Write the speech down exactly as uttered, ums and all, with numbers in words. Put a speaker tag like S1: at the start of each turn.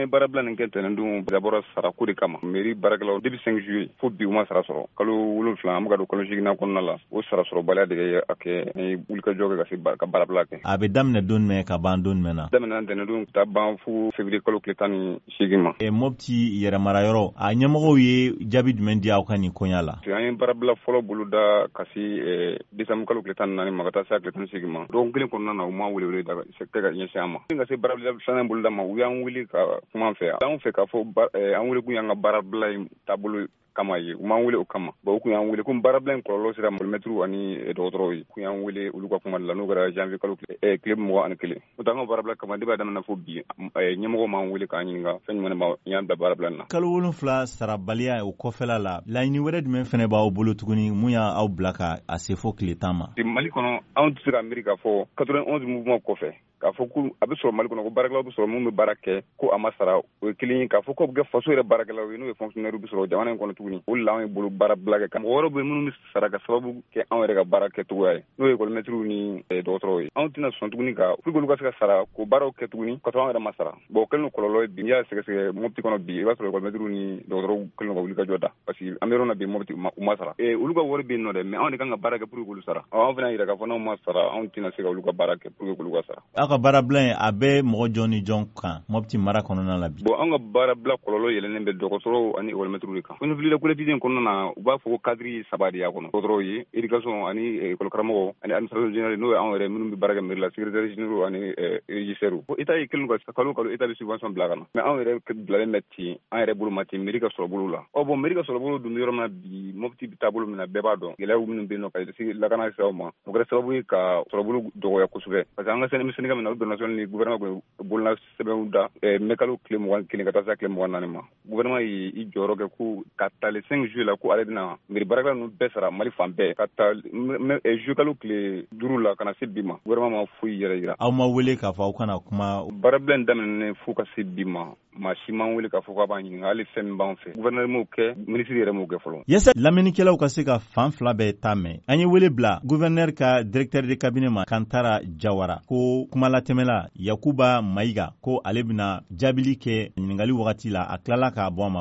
S1: ye baarabila nin kɛ tɛnɛndon, dabɔra sarako de kama. Mairie baarakɛlaw, depuis cinq juillet fo bi, u ma sara sɔrɔ. Kalo wolonfila, an bɛ ka don kalo seginna kɔnɔna la. O sara sɔrɔbaliya de ye a kɛ an ye wulikajɔ kɛ ka se ka baarabila kɛ.
S2: A bɛ daminɛ don jumɛn ka ban don jumɛn na?
S1: Daminɛ tɛnɛndon ka taa ban fo février kalo tile tan ni seegin ma.
S2: Mopti yɛrɛmara yɔrɔ, a ɲɛmɔgɔw ye jaabi jumɛn di aw ka nin koɲa la?
S1: An ye baarabila fɔlɔ boloda ka se décembre kalo tile tan ni naani ma ka taa se a tile tan ni seegin ma. Dɔgɔkun kelen kɔnɔna na, u ma welewele da kɛ ka ɲɛsin an ma. Ka se baarabila filanan boloda ma, u y'an wele ka kuma an fɛ. Anw fɛ k'a fɔ an wele kun y'an ka baarabila in taabolo kama ye, u m'an wele o kama. Bon, u kun y'an wele ko baarabila in kɔlɔlɔ sera mɛtiriw ani dɔgɔtɔrɔw ye. Kun y'an wele olu ka kuma de la, n'o kɛra janvier kalo tile mugan ani kelen. O an ka baarabila kama, depuis a daminɛ fo bi, ɲɛmɔgɔ m'an wele k'an ɲininka fɛn jumɛn b'a y'an bila baarabila in na.
S2: Kalo wolonfila sarabaliya o kɔfɛla la, laɲini wɛrɛ jumɛn fɛnɛ b'aw bolo tuguni? Mun y'aw bila ka a se fo tile tan ma?
S1: Mali kɔnɔ, anw tɛ se ka miiri k'a fɔ quatre-vingt-onze mouvement kɔfɛ k'a fɔ ko a bɛ sɔrɔ Mali kɔnɔ ko baarakɛlaw bɛ sɔrɔ minnu bɛ baara kɛ ko a ma sara. O ye kelen ye. K'a fɔ ko bɛ kɛ faso yɛrɛ baarakɛlaw ye, n'o ye fonctionnaire bɛ sɔrɔ jamana in kɔnɔ tuguni, o de la anw ye bolo baarabila kɛ. Mɔgɔ wɛrɛw bɛ minnu bɛ sara ka sababu kɛ anw yɛrɛ ka baara kɛcogoya ye, n'o ye ekɔlimɛtiriw ni dɔgɔtɔrɔw ye. Anw tɛna sɔn tuguni ka pour que olu ka se ka sara k'o baaraw kɛ tuguni ka sɔrɔ anw yɛrɛ ma sara. Bon, o kɛlen don kɔlɔlɔ ye bi. N'i y'a sɛgɛsɛgɛ Mopti kɔnɔ bi, i b'a sɔrɔ ekɔlimɛtiriw ni dɔgɔtɔrɔw kɛlen don ka wuli ka jɔ da, parce que an bɛ yɔrɔ min na bi, Mopti, u ma sara. Olu ka wari bɛ yen nɔ dɛ, mais anw de kan ka baara kɛ pour que k'olu sara. Anw fana yira k'a fɔ n'anw ma sara, anw tɛna se ka olu ka baara kɛ pour que k'olu ka sara.
S2: Aw ka baarabila in, a bɛ mɔgɔ jɔn ni jɔn kan Mopti mara kɔnɔna la bi?
S1: Bon, an ka baarabila kɔlɔlɔ yɛlɛnnen bɛ dɔgɔtɔrɔw ani ekɔlimɛtiriw de kan. Fili collectif in kɔnɔna na, u b'a fɔ ko cadre saba de y'a kɔnɔ: dɔgɔtɔrɔw ye, éducation ani ekɔlikaramɔgɔ, ani administration générale, n'o ye anw yɛrɛ minnu bɛ baara kɛ mairie la, secrétaire généraux ani régisseurs. État ye kelen ka kalo kalo, État bɛ subvention bila ka na, mais anw yɛrɛ bilalen bɛ ten, an yɛrɛ bolo ma ten mairie ka sɔrɔ bolo la. Ɔ bon, mairie ka sɔrɔ bolo dun bɛ yɔrɔ min na bi, Mopti bɛ taabolo min na, bɛɛ b'a dɔn, gɛlɛyaw minnu bɛ yen nɔ ka se lakana siraw ma, o kɛra sababu ye ka sɔrɔbolo dɔgɔya kosɛbɛ, parce que an ka syndicat min na, o national ni gouvernement bolola sɛbɛnw da mai kalo tile mugan kelen ka taa se tile mugan naani ma. Gouvernement ye i jɔyɔrɔ kɛ ko ka ta le cinq juillet la, ko ale bɛna mairie baarakɛla ninnu bɛɛ sara Mali fan bɛɛ. Ka ta juillet kalo tile duuru la ka na se bi ma, gouvernement ma foyi yɛrɛ yira.
S2: Aw ma wele k'a fɔ aw kana kuma?
S1: Baarabila in daminɛnen fo ka se bi ma, maa si m'an wele k'a fɔ k'a b'an ɲininka hali fɛn min b'an fɛ. Gouverneur m'o kɛ, ministre yɛrɛ m'o kɛ fɔlɔ.
S2: Yasa lamɛnnikɛlaw ka se ka fan fila bɛɛ ta mɛn, an ye wele bila gouverneur ka directeur de cabinet ma, Kantara Jawara, ko kumalatɛmɛla Yakuba Mayiga ko ale bɛna jaabili kɛ ɲiningali wagati la. A tilala k'a bɔ a ma.